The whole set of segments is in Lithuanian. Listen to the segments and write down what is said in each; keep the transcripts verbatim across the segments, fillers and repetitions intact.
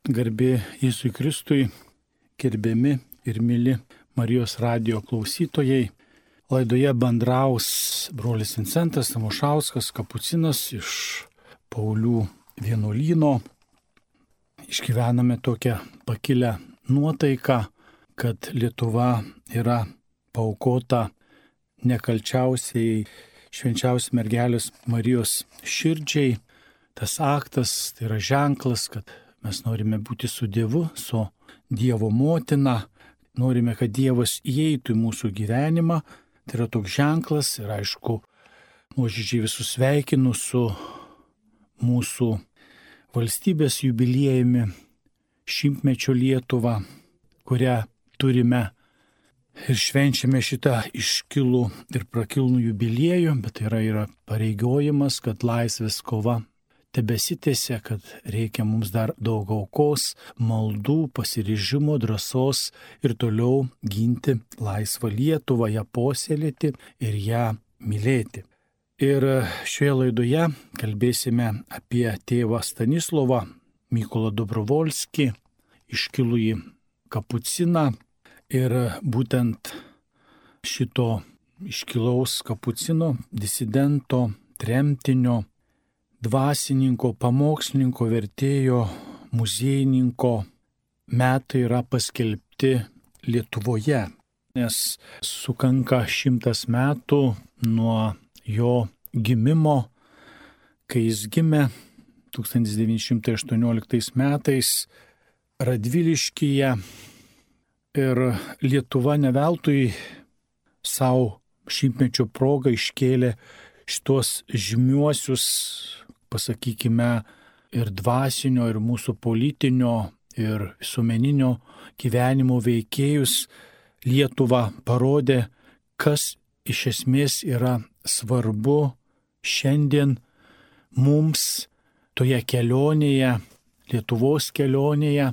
Garbė Jėzui Kristui, gerbiami ir myli Marijos radijo klausytojai. Laidoje bendraus brolis Vincentas Tamošauskas, kapucinas iš Paulių vienuolyno. Išgyvename tokią pakilę nuotaiką, kad Lietuva yra paaukota nekalčiausiai švenčiausios mergelės Marijos širdžiai. Tas aktas tai yra ženklas, kad mes norime būti su Dievu, su Dievo motina, norime, kad Dievas įeitų į mūsų gyvenimą. Tai yra toks ženklas ir aišku, nuoširdžiai visus sveikinu su mūsų valstybės jubiliejumi, šimtmečio Lietuva, kurią turime ir švenčiame šitą iškilų ir prakilnų jubiliejų, bet tai yra, yra pareigojimas, kad laisvės kova tebesitęsia, kad reikia mums dar daug aukos, maldų, pasiryžimo, drąsos ir toliau ginti laisvą Lietuvą, ją puoselėti ir ją mylėti. Ir šioje laidoje kalbėsime apie tėvą Stanislovą Mykolą Dobrovolskį, iškilųjį kapuciną. Ir būtent šito iškilaus kapucino, disidento, tremtinio, dvasininko, pamokslininko, vertėjo, muziejininko metai yra paskelbti Lietuvoje, nes sukanka šimtas metų nuo jo gimimo, kai jis gimė tūkstantis devyni šimtai aštuonioliktais metais Radviliškyje. Ir Lietuva ne veltui savo šimtmečio progą iškėlė šitos žymiuosius, pasakykime, ir dvasinio, ir mūsų politinio, ir visuomeninio gyvenimo veikėjus. Lietuva parodė, kas iš esmės yra svarbu šiandien mums toje kelionėje, Lietuvos kelionėje,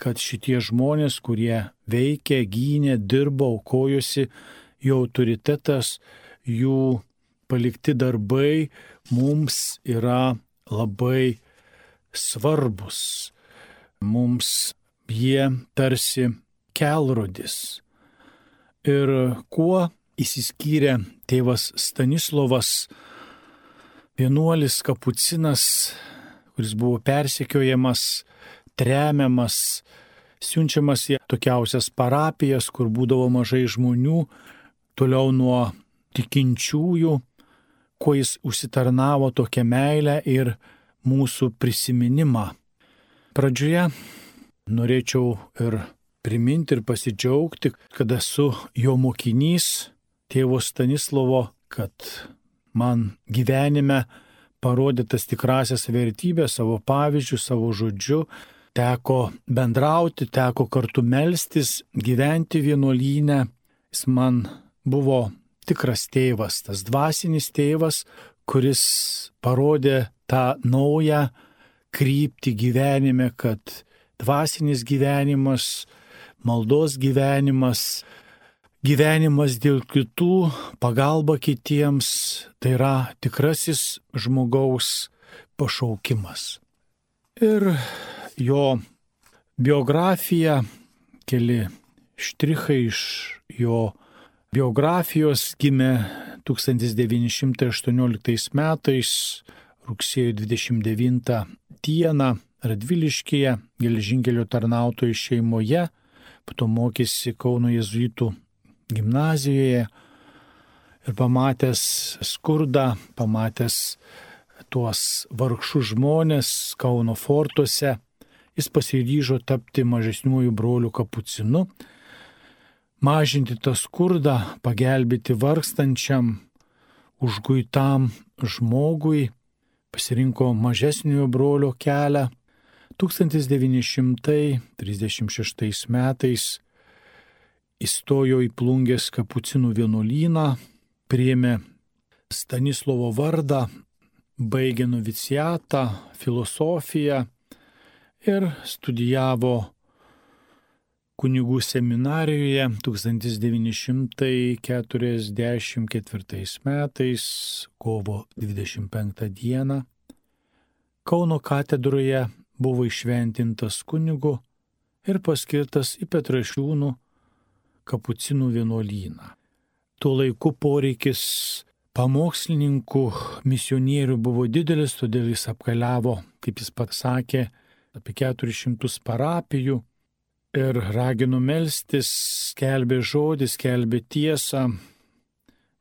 kad šitie žmonės, kurie veikė, gynė, dirbo, aukojosi, jų autoritetas, jų palikti darbai mums yra labai svarbus. Mums jie tarsi kelrodis. Ir kuo išsiskyrė tėvas Stanislovas, vienuolis kapucinas, kuris buvo persekiojamas, tremiamas, siunčiamas į tokiausias parapijas, kur būdavo mažai žmonių, toliau nuo tikinčiųjų, kuo jis užsitarnavo tokią meilę ir mūsų prisiminimą. Pradžioje norėčiau ir priminti ir pasidžiaugti, kad esu jo mokinys, tėvo Stanislovo, kad man gyvenime parodė tas tikrasias vertybės, savo pavyzdžių, savo žodžiu, teko bendrauti, teko kartu melstis, gyventi vienuolyne. Jis man buvo tikras tėvas, tas dvasinis tėvas, kuris parodė tą naują kryptį gyvenime, kad dvasinis gyvenimas, maldos gyvenimas, gyvenimas dėl kitų, pagalba kitiems, tai yra tikrasis žmogaus pašaukimas. Ir jo biografija, keli štrichai iš jo biografijos, gimė tūkstantis devyni šimtai aštuonioliktais metais, rugsėjo dvidešimt devintą dieną Radviliškyje, geležinkelio tarnautojų šeimoje, po to mokėsi Kauno jėzuitų gimnazijoje ir pamatęs skurdą, pamatęs tuos vargšus žmonės Kauno fortuose, jis pasiryžo tapti mažesniuoju broliu kapucinu, mažinti tą skurdą, pagelbėti vargstančiam, užguitam žmogui, pasirinko mažesniojo brolio kelią. tūkstantis devyni šimtai trisdešimt šeštais metais įstojo į Plungės kapucinų vienuolyną, priėmė Stanislovo vardą, baigė noviciatą, filosofiją ir studijavo kunigų seminarijoje tūkstantis devyni šimtai keturiasdešimt ketvirtais metais, kovo dvidešimt penktą dieną. Kauno katedroje buvo išventintas kunigu ir paskirtas į Petrašiūnų kapucinų vienuolyną. Tuo laiku poreikis pamokslininkų, misionierių buvo didelis, todėl jis apkeliavo, kaip jis pats sakė, apie keturis šimtus parapijų ir ragino melstis, skelbė žodį, skelbė tiesą.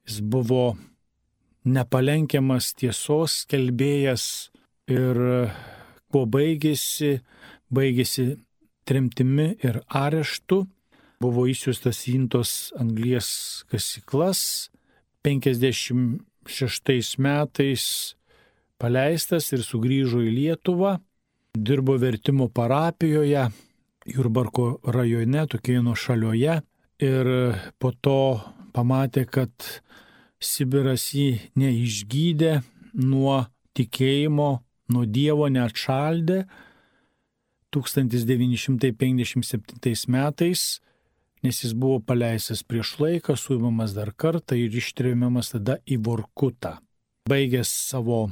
Jis buvo nepalenkiamas tiesos skelbėjas ir kuo baigėsi, baigėsi tremtimi ir areštu. Buvo išsiųstas į Intos anglies kasyklas, penkiasdešimt šeštais metais paleistas ir sugrįžo į Lietuvą, dirbo vertimo parapijoje, Jurbarko rajone, tokioje nuošalioje, ir po to pamatė, kad Sibiras jį neišgydė nuo tikėjimo, nuo Dievo neatšaldė. tūkstantis devyni šimtai penkiasdešimt septintais metais, nes jis buvo paleistas prieš laiką, suimamas dar kartą ir ištremiamas tada į Vorkutą. Baigęs savo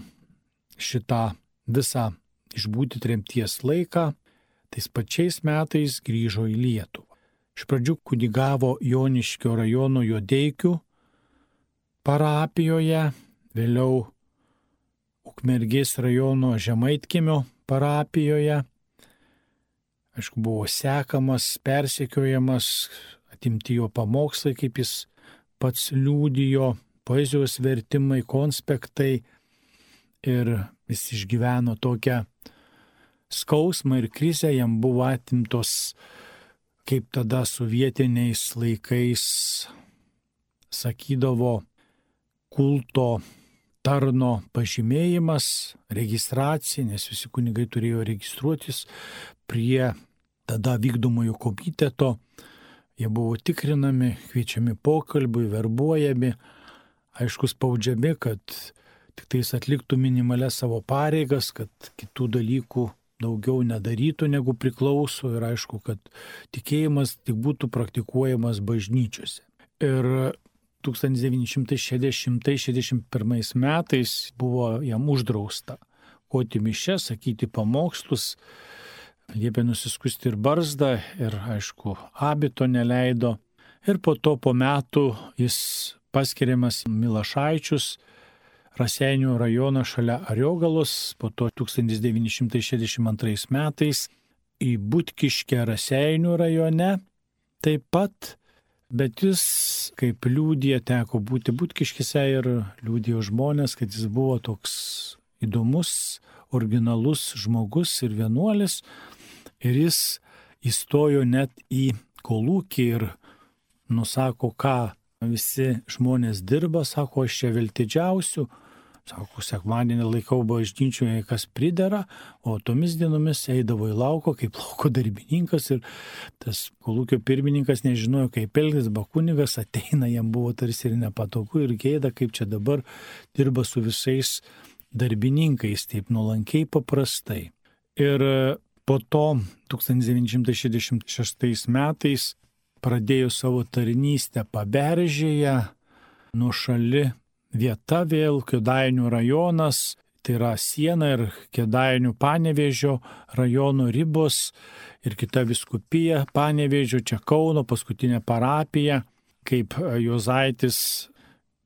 šitą visą išbūti tremties laiką, tais pačiais metais grįžo į Lietuvą. Iš pradžių kunigavo Joniškio rajono Jodeikių parapijoje, vėliau Ukmergės rajono Žemaitkiemio parapijoje. Aišku, buvo sekamas, persekiojamas, atimti jo pamokslai, kaip jis pats liudijo, poezijos vertimai, konspektai, ir jis išgyveno tokią skausmą ir krizę, jam buvo atimtos, kaip tada sovietiniais laikais sakydavo, kulto tarno pažymėjimas, registracija, nes visi kunigai turėjo registruotis prie tada vykdomojo komiteto. Jie buvo tikrinami, kviečiami pokalbiui, verbuojami, aišku, spaudžiami, kad tik tais atliktų minimalias savo pareigas, kad kitų dalykų daugiau nedarytų, negu priklauso, ir aišku, kad tikėjimas tik būtų praktikuojamas bažnyčiose. Ir tūkstantis devyni šimtai šešiasdešimt pirmais metais buvo jam uždrausta aukoti mišias, sakyti pamokslus, liepė nusiskusti ir barzdą, ir aišku, abito neleido. Ir po to po metų jis paskiriamas Milašaičius, Raseinių rajoną šalia Ariogalos, po to tūkstantis devyni šimtai šešiasdešimt antrais metais į Butkiškę Raseinių rajone taip pat, bet jis, kaip liudija, teko būti Butkiškėse ir liudijo žmonės, kad jis buvo toks įdomus, originalus žmogus ir vienuolis, ir jis įstojo net į kolūkį ir nusako, ką visi žmonės dirba, sako, aš čia veltidžiausiu, sako, sekmadienį laikau bažnyčioje, kas pridera, o tomis dienomis eidavo į lauko kaip lauko darbininkas, ir tas kolūkio pirmininkas nežinojo, kaip elgtis, bet kunigas ateina, jam buvo tarsi ir nepatogu ir gėda, kaip čia dabar dirba su visais darbininkais, taip nuolankiai paprastai. Ir po to tūkstantis devyni šimtai šešiasdešimt šeštais metais pradėjo savo tarnystę Paberžėje, nuošali vieta vėl, Kėdainių rajonas, tai yra siena ir Kėdainių Panevėžio rajono ribos, ir kita vyskupija Panevėžio, čia Kauno, paskutinė parapija, kaip Juozaitis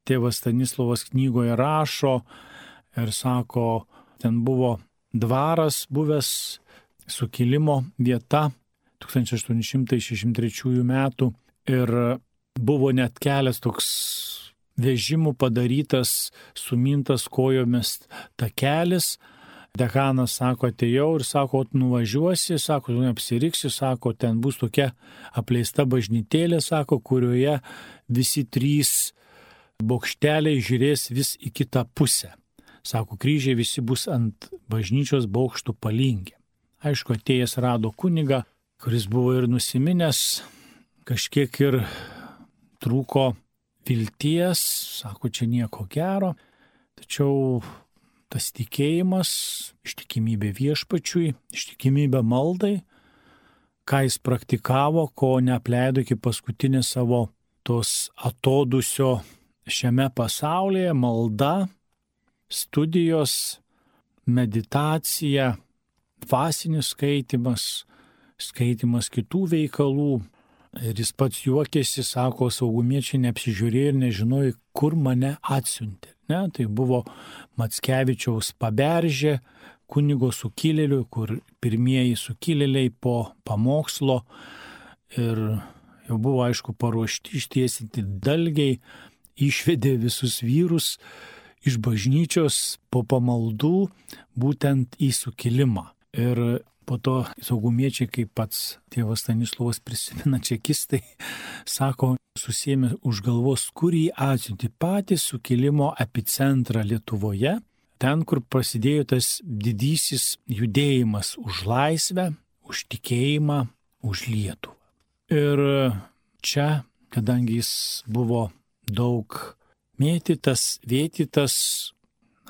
tėvas Stanislovas knygoje rašo, ir sako, ten buvo dvaras buvęs, sukilimo vieta tūkstantis aštuoni šimtai šešiasdešimt trečiųjų metų, ir buvo net kelias toks vežimų padarytas, sumintas kojomis takelis. Dekanas sako, atėjau ir sako, nuvažiuosi, sako, tu neapsiriksi, sako, ten bus tokia apleista bažnytėlė, sako, kurioje visi trys bokšteliai žiūrės vis į kitą pusę. Sako, kryžiai visi bus ant bažnyčios bokštų palinkę. Aišku, atėjęs rado kunigą, kuris buvo ir nusiminęs, kažkiek ir trūko vilties, sako, čia nieko gero, tačiau tas tikėjimas, ištikimybė viešpačiui, ištikimybė maldai, ką jis praktikavo, ko neapleido iki paskutinės savo tos atodusio šiame pasaulyje, malda, studijos, meditacija, dvasinis skaitimas, skaitimas kitų veikalų. Ir jis pats juokėsi, sako, saugumiečiai neapsižiūrėjo ir nežinojo, kur mane atsiuntė. Ne? Tai buvo Mackevičiaus Paberžė, kunigo sukilėlių, kur pirmieji sukilėliai po pamokslo ir jau buvo, aišku, paruošti ištiesinti dalgiai, išvedė visus vyrus iš bažnyčios po pamaldų būtent į sukilimą. Ir po to saugumiečiai, kaip pats tėvas Stanislovas prisimena, čekistai, sako, susėmė už galvos, kur jį atsiuntė patį sukilimo epicentrą Lietuvoje, ten, kur prasidėjo tas didysis judėjimas už laisvę, už tikėjimą, už Lietuvą. Ir čia, kadangi jis buvo daug mėtytas, vėtytas,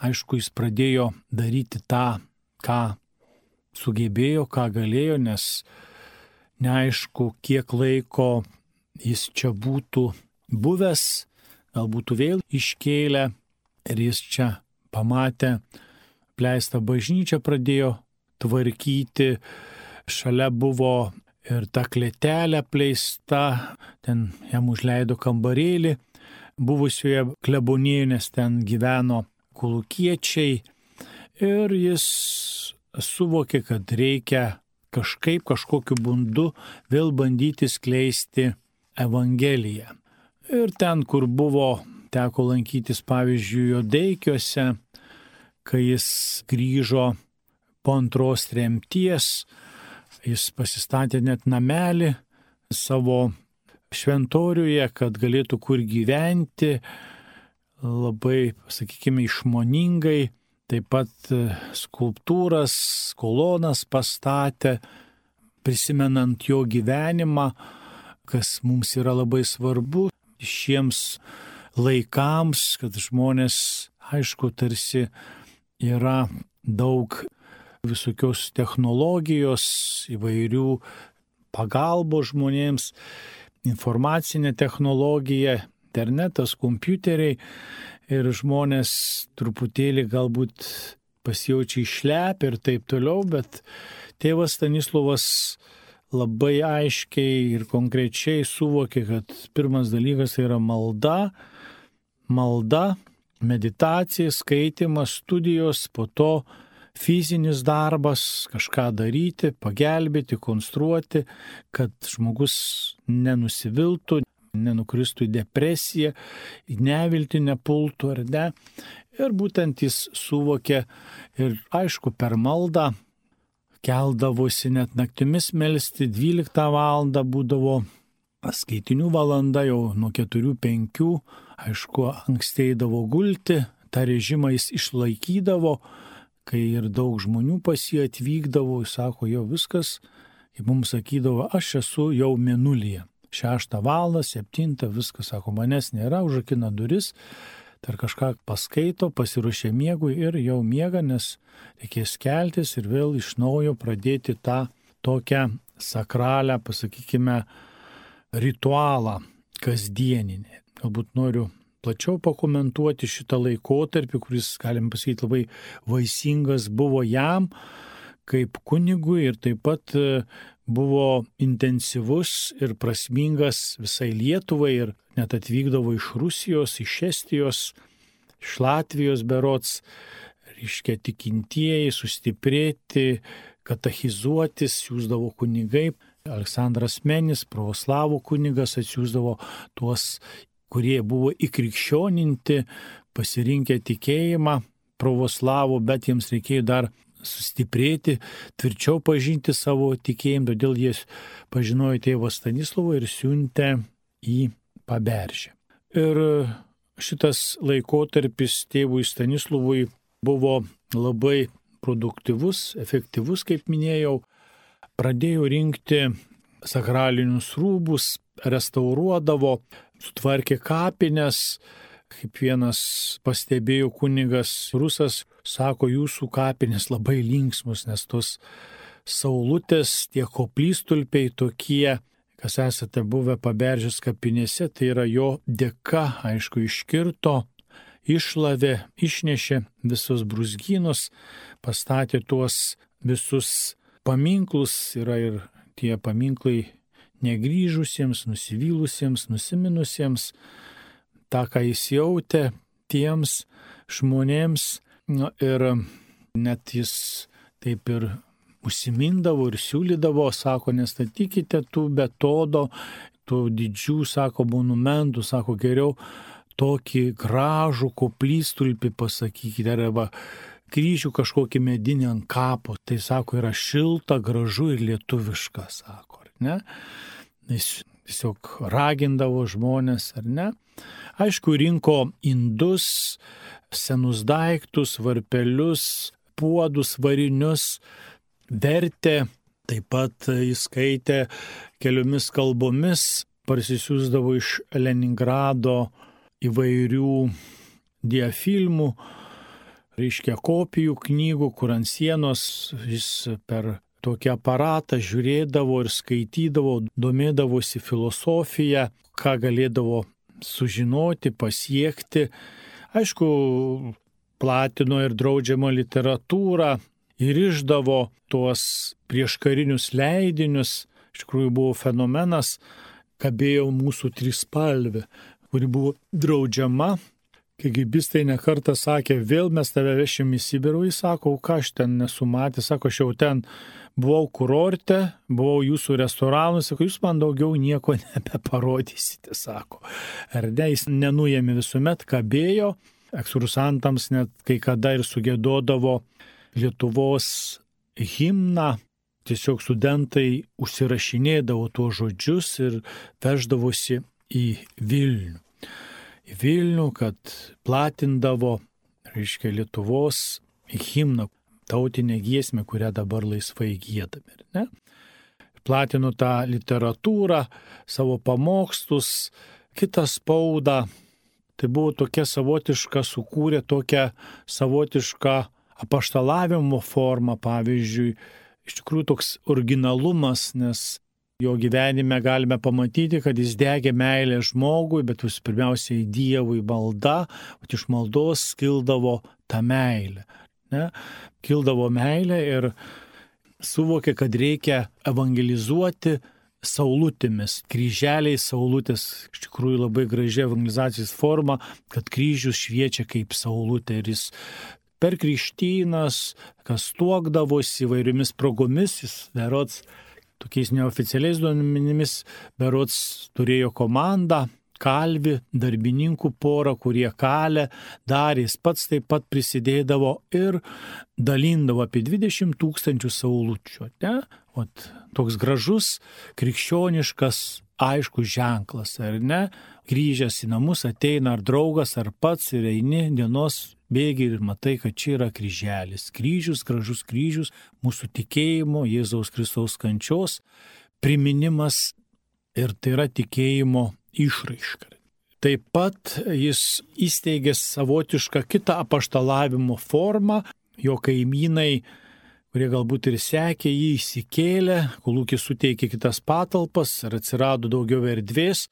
aišku, jis pradėjo daryti tą, ką sugebėjo, ką galėjo, nes neaišku, kiek laiko jis čia būtų buvęs, gal būtų vėl iškėlę ir jis čia pamatė pleistą bažnyčią, pradėjo tvarkyti, šalia buvo ir ta klėtelė pleista, ten jam užleido kambarėlį, buvusioje klebonijoje, nes ten gyveno kolūkiečiai ir jis suvokė, kad reikia kažkaip, kažkokiu būdu vėl bandyti skleisti Evangeliją. Ir ten, kur buvo, teko lankytis, pavyzdžiui, Jodeikiuose, kai jis grįžo po antros tremties, jis pasistatė net namelį savo šventoriuje, kad galėtų kur gyventi, labai, sakykime, išmoningai. Taip pat skulptūras, kolonas pastatė, prisimenant jo gyvenimą, kas mums yra labai svarbu šiems laikams, kad žmonės, aišku, tarsi yra daug visokios technologijos, įvairių pagalbos žmonėms, informacinė technologija, internetas, kompiuteriai. Ir žmonės truputėlį galbūt pasijaučia išlepę ir taip toliau, bet tėvas Stanislovas labai aiškiai ir konkrečiai suvokė, kad pirmas dalykas tai yra malda, malda, meditacija, skaitimas, studijos, po to fizinis darbas, kažką daryti, pagelbėti, konstruoti, kad žmogus nenusiviltų, nenukristų į depresiją, į neviltį nepultų ar ne. Ir būtent jis suvokė ir aišku per maldą keldavosi net naktimis melsti, dvyliktą valandą būdavo skaitinių valanda, jau nuo keturių penkių, aišku, anksteidavo gulti, tą režimą jis išlaikydavo, kai ir daug žmonių pas jį atvykdavo, jis sako, jau viskas, kaip mums sakydavo, aš esu jau mėnulyje. Šeštą valandą, septintą, viskas, sako, manęs nėra, užrakina duris, dar kažką paskaito, pasiruošia miegui ir jau miega, nes reikės keltis ir vėl iš naujo pradėti tą tokią sakralią, pasakykime, ritualą kasdieninį. Galbūt noriu plačiau pakomentuoti šitą laikotarpį, kuris, galim pasakyti, labai vaisingas buvo jam kaip kunigui ir taip pat buvo intensyvus ir prasmingas visai Lietuvai ir net atvykdavo iš Rusijos, iš Estijos, iš Latvijos berods, reiškia tikintieji, sustiprėti, katechizuotis, siųsdavo kunigai. Aleksandras Menis, pravoslavų kunigas, atsiųsdavo tuos, kurie buvo įkrikščioninti, pasirinkę tikėjimą pravoslavų, bet jiems reikėjo dar sustiprėti, tvirčiau pažinti savo tikėjimą, todėl jie pažinojo tėvą Stanislovą ir siuntė į Paberžę. Ir šitas laikotarpis tėvui Stanislovui buvo labai produktyvus, efektyvus, kaip minėjau. Pradėjo rinkti sakralinius rūbus, restauruodavo, sutvarkė kapines. Kaip vienas pastebėjo kunigas rusas, sako, jūsų kapinės labai linksmus, nes tos saulutės, tie koplytstulpiai tokie, kas esate buvę Paberžės kapinėse, tai yra jo dėka, aišku, iškirto, išlavė, išnešė visus brūzgynus, pastatė tuos visus paminklus, yra ir tie paminklai negrįžusiems, nusivylusiems, nusiminusiems, tą, ką jis jautė tiems žmonėms. Nu, ir net jis taip ir užsimindavo ir siūlydavo, sako, nestatykite tų betodo, tų didžių, sako, monumentų, sako, geriau tokį gražų koplytstulpį pasakykite, arba kryžių kažkokį medinį ant kapo. Tai, sako, yra šilta, gražu ir lietuviška, sako, ar ne? Jis tiesiog ragindavo žmonės, ar ne? Aišku, rinko indus, senus daiktus, varpelius, puodus, varinius, vertė, taip pat jis skaitė keliomis kalbomis, parsisiųsdavo iš Leningrado įvairių diafilmų, reiškia kopijų knygų, kur ant sienos jis per tokį aparatą žiūrėdavo ir skaitydavo, domėdavosi filosofiją, ką galėdavo sužinoti, pasiekti. Aišku, platino ir draudžiamą literatūrą ir išdavo tuos prieškarinius leidinius. Iš tikrųjų buvo fenomenas, kabėjo mūsų trispalvė, kuri buvo draudžiama. Kagibistai nekartą sakė, vėl mes tave vešim į Sibirą, jis sako, ką aš ten nesu matęs, sako, aš jau ten buvau kurorte, buvau jūsų restoranus, sako, jūs man daugiau nieko nebeparodysite, sako. Ar ne, jis nenuėmė visuomet, kabėjo, ekskursantams net kai kada ir sugėdodavo Lietuvos himną, tiesiog studentai užsirašinėdavo tuos žodžius ir veždavosi į Vilnių. Į Vilnių, kad platindavo, reiškia, Lietuvos himną, tautinę giesmę, kurią dabar laisvai giedame, ne? Platino tą literatūrą, savo pamokslus, kitą spaudą. Tai buvo tokia savotiška, sukūrė tokią savotišką apaštalavimo formą, pavyzdžiui, iš tikrųjų toks originalumas, nes jo gyvenime galime pamatyti, kad jis degė meilę žmogui, bet vis pirmiausiai Dievui malda, o iš maldos kildavo ta meilė. Ne? Kildavo meilė ir suvokė, kad reikia evangelizuoti saulutėmis, kryželiais saulutės, iš tikrųjų labai graži evangelizacijos forma, kad kryžius šviečia kaip saulutė ir jis per krikštynas, kas tuokdavosi įvairiomis progomis, jis berods tokiais neoficialiais duomenimis, berods turėjo komandą, kalvį, darbininkų porą, kurie kalė, darė, jis pats taip pat prisidėdavo ir dalindavo apie dvidešimt tūkstančių saulučių. Ne? O toks gražus, krikščioniškas, aiškus ženklas, ar ne? Grįžęs į namus ateina ar draugas, ar pats ir eini dienos bėgi ir matai, kad čia yra kryželis. Kryžius, gražus kryžius, mūsų tikėjimo, Jėzaus Kristaus kančios priminimas ir tai yra tikėjimo išraiška. Taip pat jis įsteigė savotišką kitą apaštalavimo formą, jo kaimynai, kurie galbūt ir sekė jį, įsikėlė, kolūkis suteikė kitas patalpas ir atsirado daugiau erdvės,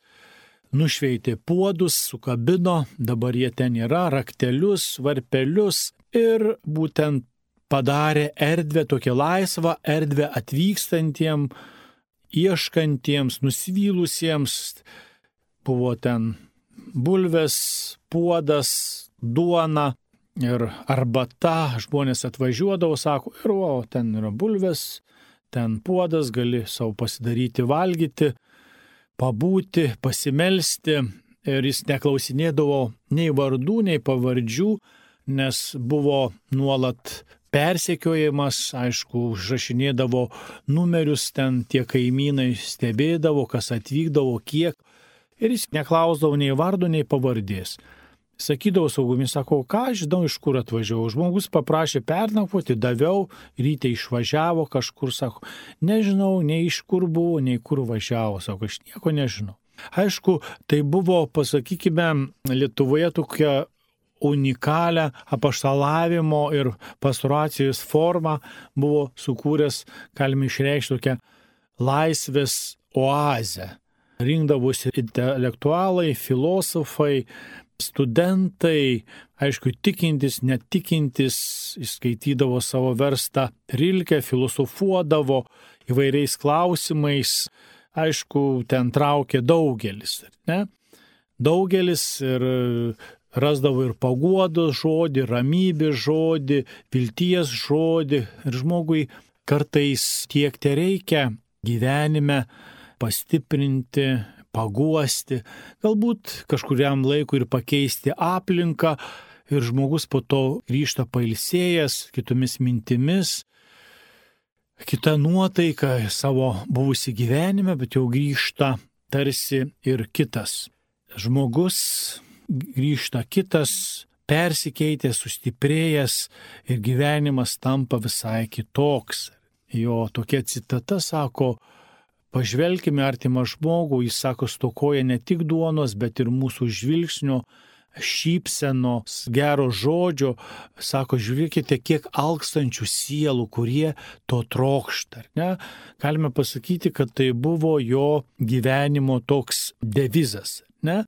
nušveitė puodus, sukabino, dabar jie ten yra, raktelius, varpelius ir būtent padarė erdvę, tokią laisvą erdvę atvykstantiem, ieškantiems, nusivylusiems. Buvo ten bulvės, puodas, duona ir arbata, žmonės atvažiuodavo, sako, ir o, ten yra bulvės, ten puodas, gali savo pasidaryti, valgyti, pabūti, pasimelsti ir jis neklausinėdavo nei vardų, nei pavardžių, nes buvo nuolat persekiojimas, aišku, užrašinėdavo numerius, ten tie kaimynai stebėdavo, kas atvykdavo, kiek, ir jis neklausdavo nei vardo, nei pavardės. Sakydavo saugumis, sako, ką aš žinau, iš kur atvažiavau. Žmogus paprašė pernakvoti, daviau, ryte išvažiavo kažkur, sako, nežinau, nei iš kur buvo, nei kur važiavo, sako, aš nieko nežinau. Aišku, tai buvo, pasakykime, Lietuvoje tokia unikalią apaštalavimo ir pastoracijos formą buvo sukūręs, galime išreikšti tokią laisvės oazę. Rinkdavosi intelektualai, filosofai, studentai, aišku, tikintis, netikintis, įskaitydavo savo verstą Rilkę, filosofuodavo įvairiais klausimais, aišku, ten traukė daugelis, ne? Daugelis ir rasdavo ir paguodos žodį, ramybės žodį, vilties žodį ir žmogui kartais tiek te reikia gyvenime pastiprinti, paguosti, galbūt kažkuriam laikui ir pakeisti aplinką ir žmogus po to grįžta pailsėjęs kitomis mintimis, kita nuotaika savo buvusi gyvenime, bet jau grįžta tarsi ir kitas. Žmogus grįžta kitas, persikeitęs, sustiprėjęs ir gyvenimas tampa visai kitoks. Jo tokia citata sako, pažvelkime artimą žmogų, jis sako, stokoja ne tik duonos, bet ir mūsų žvilgsnio, šypsenos, gero žodžio. Sako, žiūrėkite, kiek alkstančių sielų, kurie to trokšta. Ne? Galime pasakyti, kad tai buvo jo gyvenimo toks devizas. Ne?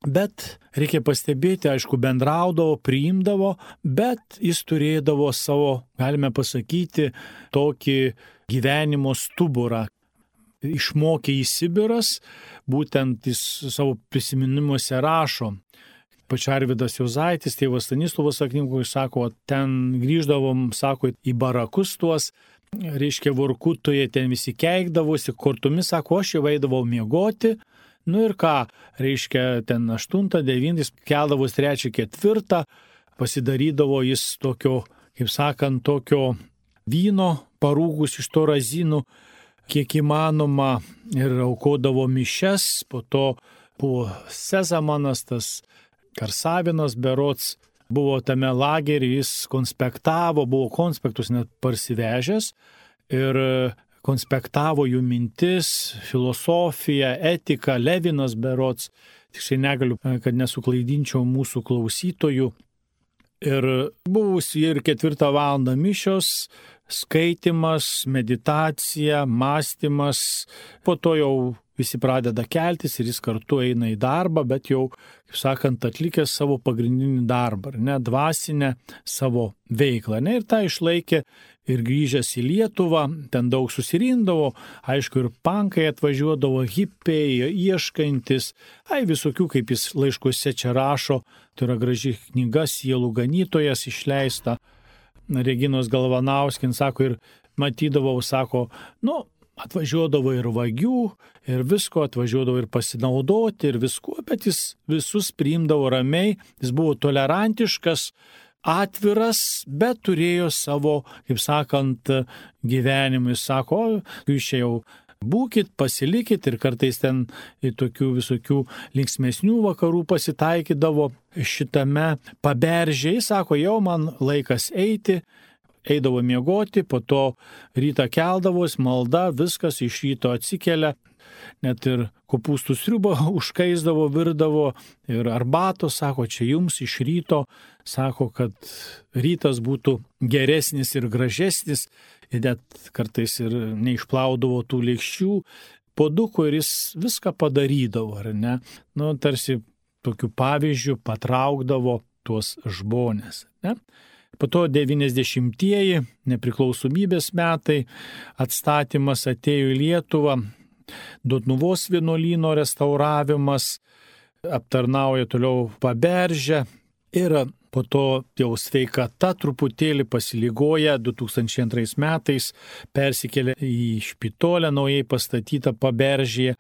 Bet reikia pastebėti, aišku, bendraudavo, priimdavo, bet jis turėdavo savo, galime pasakyti, tokį gyvenimo stuburą. Išmokė į Sibiras, būtent jis savo prisiminimuose rašo. Pač Arvydas Juozaitis, tėvas Stanislovas knygoje sako, ten grįždavom, sako, į barakus tuos, reiškia, Vorkutoje ten visi keikdavosi, kortomis, sako, aš jau eidavau miegoti, nu ir ką, reiškia, ten aštuntą, devintą, keldavos trečią, ketvirtą, pasidarydavo jis tokio, kaip sakant, tokio vyno parūgus iš to razinų, kiek įmanoma, ir aukodavo mišes, po to buvo Sezamanas, tas Karsavinas berods, buvo tame lageryje, jis konspektavo, buvo konspektus net parsivežęs ir konspektavo jų mintis, filosofiją, etiką, Levinas berods, tiksliai negaliu, kad nesuklaidinčiau mūsų klausytojų. Ir buvusi ir ketvirtą valandą mišios, skaitimas, meditacija, mąstymas, po to jau visi pradeda keltis ir jis kartu eina į darbą, bet jau, kaip sakant, atlikęs savo pagrindinį darbą, ne, dvasinę savo veiklą. Ne, ir tą išlaikė ir grįžęs į Lietuvą, ten daug susirindavo, aišku, ir pankai atvažiuodavo, hipiai, ieškantis, ai visokių, kaip jis laiškuose čia rašo, tai yra graži knyga, Sielų ganytojas išleista, Reginos Galvanauskins, sako, ir matydavau, sako, nu, atvažiuodavo ir vagių, ir visko, atvažiuodavo ir pasinaudoti, ir visko, bet jis visus priimdavo ramiai, jis buvo tolerantiškas, atviras, bet turėjo savo, kaip sakant, gyvenimą. Jis sako, jūs čia jau būkit, pasilikit, ir kartais ten tokių visokių linksmesnių vakarų pasitaikydavo šitame Paberžėje. Jis sako, jau man laikas eiti, eidavo miegoti, po to rytą keldavos, malda, viskas iš ryto atsikelia, net ir kopūstų sriubą užkaisdavo, virdavo ir arbatos, sako, čia jums iš ryto, sako, kad rytas būtų geresnis ir gražesnis, ir net kartais ir neišplaudavo tų lėkščių, puoduko, ir jis viską padarydavo, ar ne? Nu, tarsi tokiu pavyzdžiu patraukdavo tuos žmonės, ne? Po to devyniasdešimtieji, nepriklausomybės metai, atstatymas atėjo į Lietuvą, Dotnuvos vienuolyno restauravimas, aptarnauja toliau Paberžę ir po to jau sveikata truputėlį pasilygoja, du tūkstančiai antrais metais persikėlė į špitolę naujai pastatytą Paberžėje.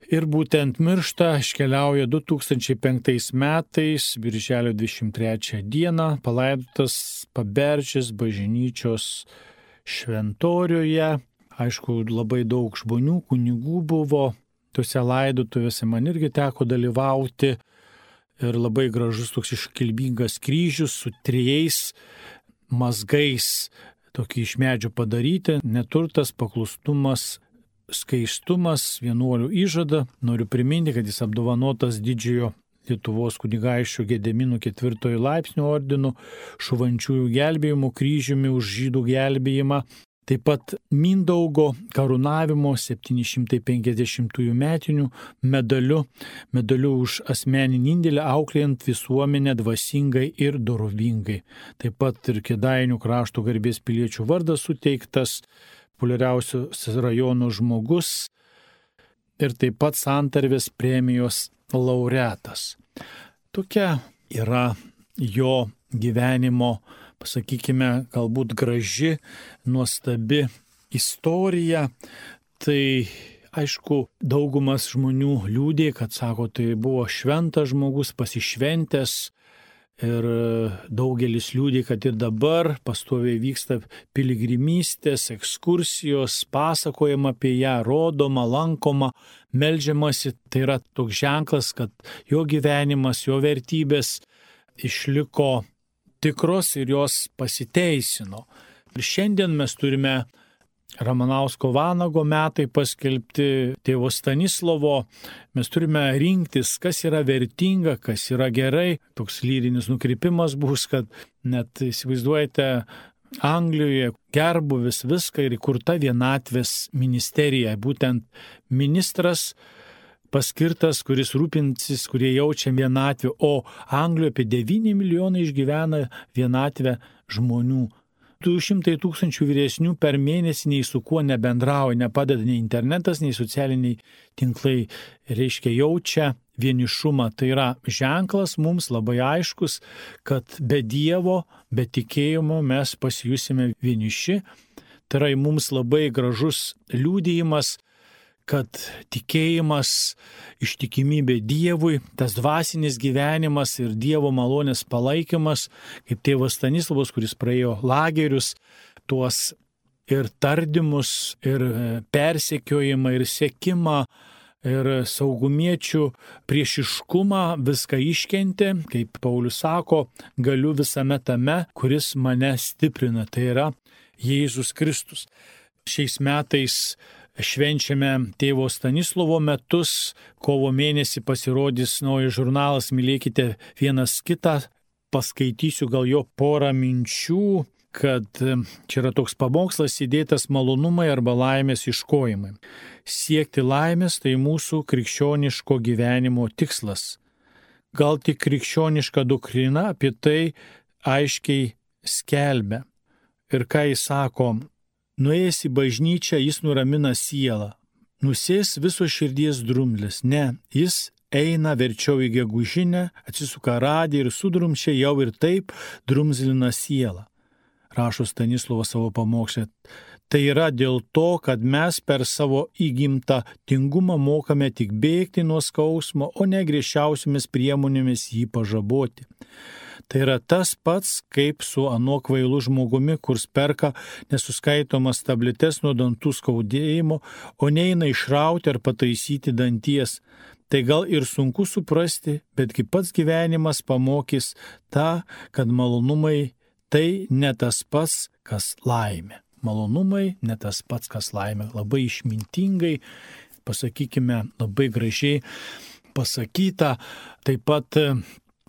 Ir būtent miršta, iškeliauja du tūkstančiai penktais metais, birželio dvidešimt trečią dieną, palaidotas Paberžės bažnyčios šventoriuje. Aišku, labai daug žmonių, kunigų buvo tuose laidotuvėse, man irgi teko dalyvauti. Ir labai gražus toks iškilmingas kryžius su trijais mazgais, tokį iš medžio padaryti, neturtas, paklusnumas, skaistumas, vienuolių įžada. Noriu priminti, kad jis apdovanotas didžiojo Lietuvos kunigaikščio Gedimino ketvirtojo laipsnio ordinu, šuvančiųjų gelbėjimo kryžiumi už žydų gelbėjimą. taip pat Mindaugo karūnavimo septyni šimtai penkiasdešimtųjų metinių medaliu, medaliu už asmeninį indėlį auklėjant visuomenę dvasingai ir dorovingai. Taip pat ir Kėdainių krašto garbės piliečių vardas suteiktas, populiariausios rajono žmogus ir taip pat Santarvės premijos laureatas. Tokia yra jo gyvenimo, pasakykime, galbūt graži, nuostabi istorija. Tai aišku, daugumas žmonių liūdė, kad sako, tai buvo šventas žmogus, pasišventęs. Ir daugelis liūdė, kad ir dabar pastoviai vyksta piligrimystės, ekskursijos, pasakojama apie ją, rodoma, lankoma, meldžiamasi. Tai yra toks ženklas, kad jo gyvenimas, jo vertybės išliko tikros ir jos pasiteisino. Ir šiandien mes turime Ramanausko Vanago metai paskelbti, tėvo Stanislovo. Mes turime rinktis, kas yra vertinga, kas yra gerai. Toks lyrinis nukrypimas bus, kad net įsivaizduojate, Anglijoje gerbuvis viską ir įkurta vienatvės ministerija. Būtent ministras paskirtas, kuris rūpinsis, kurie jaučia vienatvę, o Anglijoje apie devyni milijonai išgyvena vienatvę žmonių. du šimtai tūkstančių vyresnių per mėnesį nei su kuo nebendrauja, nepadeda nei internetas, nei socialiniai tinklai, reiškia jaučia vienišumą. Tai yra ženklas mums labai aiškus, kad be Dievo, be tikėjimo mes pasijusime vieniši. Tai yra mums labai gražus liudijimas, kad tikėjimas, ištikimybė Dievui, tas dvasinis gyvenimas ir Dievo malonės palaikymas, kaip tėvas Stanislavas, kuris praėjo lagerius, tuos ir tardymus, ir persekiojimą, ir sekimą, ir saugumiečių priešiškumą, viską iškentė, kaip Paulius sako, galiu visame tame, kuris mane stiprina, tai yra Jėzus Kristus. Šiais metais švenčiame tėvo Stanislovo metus, kovo mėnesį pasirodys naujas žurnalas Mylėkite vienas kitą, paskaitysiu gal jo porą minčių, kad čia yra toks pamokslas įdėtas malonumai arba laimės ieškojimai. Siekti laimės tai mūsų krikščioniško gyvenimo tikslas. Gal tik krikščioniška doktrina apie tai aiškiai skelbia. Ir ką jis sako, nuėjęs į bažnyčią, jis nuramina sielą. Nusės viso širdies drumzlis. Ne, jis eina verčiau į gegužinę, atsisuka radį ir sudrumčia jau ir taip drumzlina sielą. Rašo Stanislovas savo pamokslę. Tai yra dėl to, kad mes per savo įgimtą tingumą mokame tik bėgti nuo skausmo, o ne griežčiausiomis priemonėmis jį pažaboti. Tai yra tas pats, kaip su anuo kvailu žmogumi, kurs perka nesuskaitomas tabletes nuo dantų skaudėjimo, o neina išrauti ar pataisyti danties. Tai gal ir sunku suprasti, bet kaip pats gyvenimas pamokys tą, kad malonumai tai ne tas pats, kas laimė. Malonumai ne tas pats, kas laimė. Labai išmintingai, pasakykime, labai gražiai pasakyta. Taip pat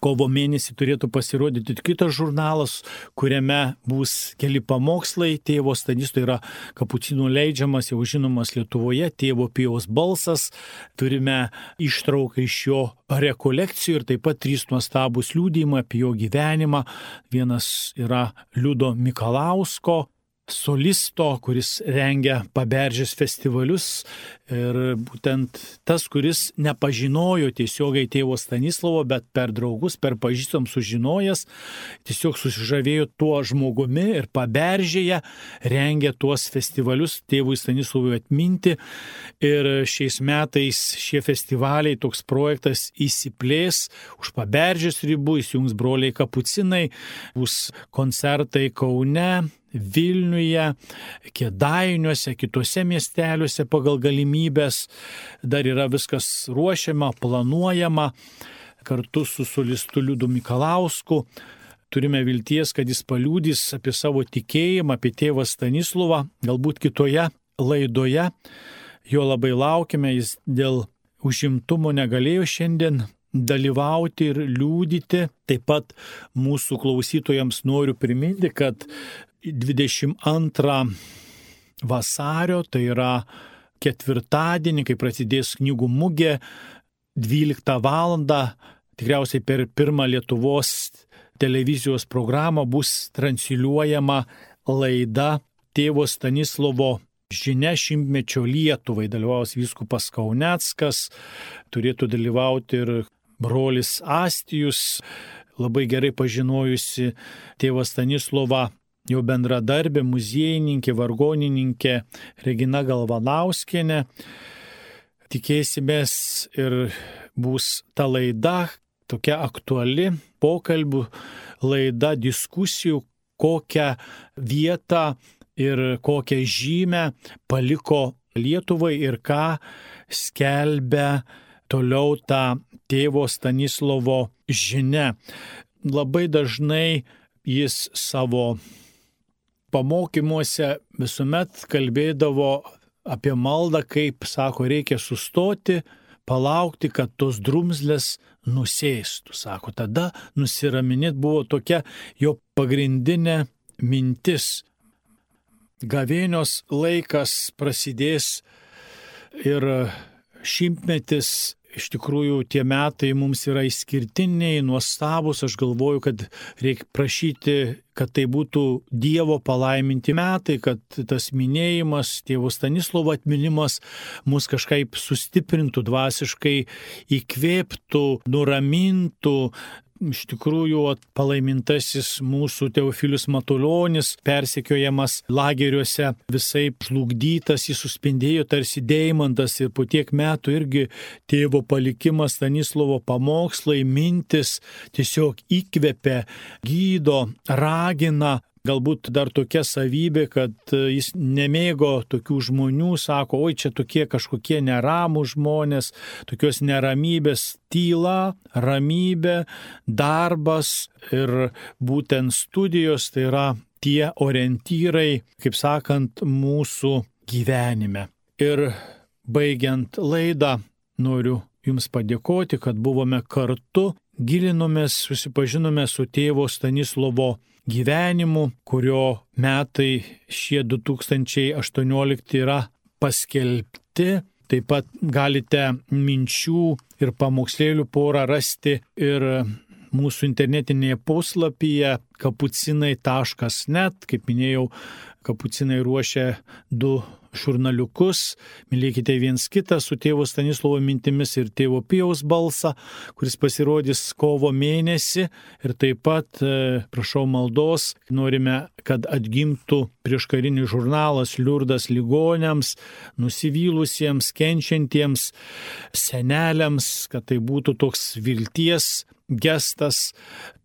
kovo mėnesį turėtų pasirodyti kitas žurnalas, kuriame bus keli pamokslai. Tėvo Stanislovo yra kapucinų leidžiamas, jau žinomas Lietuvoje, tėvo Pijaus balsas. Turime ištrauką iš jo rekolekcijų ir taip pat trys nuostabūs liudijimai apie jo gyvenimą. Vienas yra Liudo Mikalausko, solisto, kuris rengia Paberžės festivalius ir būtent tas, kuris nepažinojo tiesiogiai tėvo Stanislovo, bet per draugus, per pažįstam sužinojęs, tiesiog susižavėjo tuo žmogumi ir Paberžėje rengia tuos festivalius tėvui Stanislovui atminti. Ir šiais metais šie festivaliai, toks projektas įsiplės už Paberžės ribų, įsijungs broliai kapucinai, bus koncertai Kaune, Vilniuje, Kėdainiuose, kitose miesteliuose pagal galimybės. Dar yra viskas ruošiama, planuojama kartu su solistu Liudu Mikalausku. Turime vilties, kad jis paliudys apie savo tikėjimą, apie tėvą Stanislovą, galbūt kitoje laidoje. Jo labai laukime, jis dėl užimtumo negalėjo šiandien dalyvauti ir liudyti. Taip pat mūsų klausytojams noriu priminti, kad dvidešimt antrą vasario, tai yra ketvirtadienį, kai prasidės knygų mugė, dvyliktą valandą, tikriausiai per pirmą Lietuvos televizijos programą bus transliuojama laida Tėvo Stanislovo žinia šimtmečio Lietuvai. Dalyvaus vyskupas Kauneckas, turėtų dalyvauti ir brolis Astijus, labai gerai pažinojusi tėvą Stanislovą, jo bendradarbė, muziejininkė, vargonininkė Regina Galvanauskienė. Tikėsimės ir bus ta laida, tokia aktuali pokalbių laida, diskusijų, kokią vietą ir kokią žymę paliko Lietuvai ir ką skelbia toliau ta tėvo Stanislovo žinia. Labai dažnai jis savo pamokymuose visuomet kalbėdavo apie maldą, kaip, sako, reikia sustoti, palaukti, kad tos drumzlės nusėstų. Sako, tada nusiraminėt buvo tokia jo pagrindinė mintis. Gavėnios laikas prasidės ir šimtmetis, iš tikrųjų tie metai mums yra išskirtiniai, nuostabus. Aš galvoju, kad reikia prašyti, kad tai būtų Dievo palaiminti metai, kad tas minėjimas, tėvo Stanislovo atminimas mus kažkaip sustiprintų dvasiškai, įkvėptų, nuramintų. Iš tikrųjų, palaimintasis mūsų Teofilius Matulionis, persekiojamas lageriuose, visai žlugdytas, jis suspindėjo tarsi deimantas ir po tiek metų irgi tėvo palikimas, Stanislovo pamokslai, mintis tiesiog įkvepia, gydo, ragina. Galbūt dar tokia savybė, kad jis nemėgo tokių žmonių, sako, oi čia tokie kažkokie neramų žmonės, tokios neramybės, tyla, ramybė, darbas ir būtent studijos, tai yra tie orientyrai, kaip sakant, mūsų gyvenime. Ir baigiant laidą, noriu Jums padėkoti, kad buvome kartu, gilinomės, susipažinome su tėvo Stanislovo gyvenimu, kurio metai šie du tūkstančiai aštuoniolikti yra paskelbti. Taip pat galite minčių ir pamokslėlių porą rasti ir mūsų internetinėje puslapyje kapucinai taškas net. Kaip minėjau, kapucinai ruošia du žurnaliukus. Mylėkite viens kitą su tėvo Stanislovo mintimis ir tėvo Pijaus balsą, kuris pasirodys kovo mėnesį. Ir taip pat, prašau maldos, norime, kad atgimtų prieškarinis žurnalas Liurdas ligoniams, nusivylusiems, kenčiantiems seneliams, kad tai būtų toks vilties gestas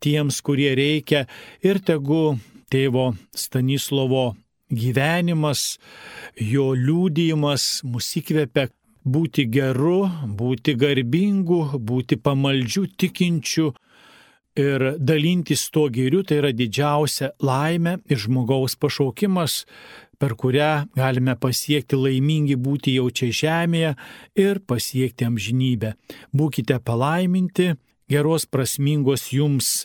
tiems, kurie reikia. Ir tegu tėvo Stanislovo gyvenimas, jo liudijimas mus įkvepia būti geru, būti garbingu, būti pamaldžiu, tikinčiu ir dalintis tuo gėriu. Tai yra didžiausia laimė ir žmogaus pašaukimas, per kurią galime pasiekti laimingi būti jau čia žemėje ir pasiekti amžinybę. Būkite palaiminti, geros prasmingos jums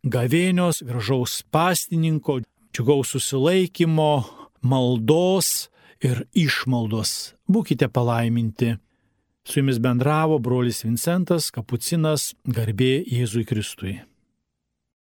gavėnios, gražaus pastininko, džiugaus susilaikymo, maldos ir išmaldos. Būkite palaiminti. Su jumis bendravo brolis Vincentas Kapucinas, garbė Jėzui Kristui.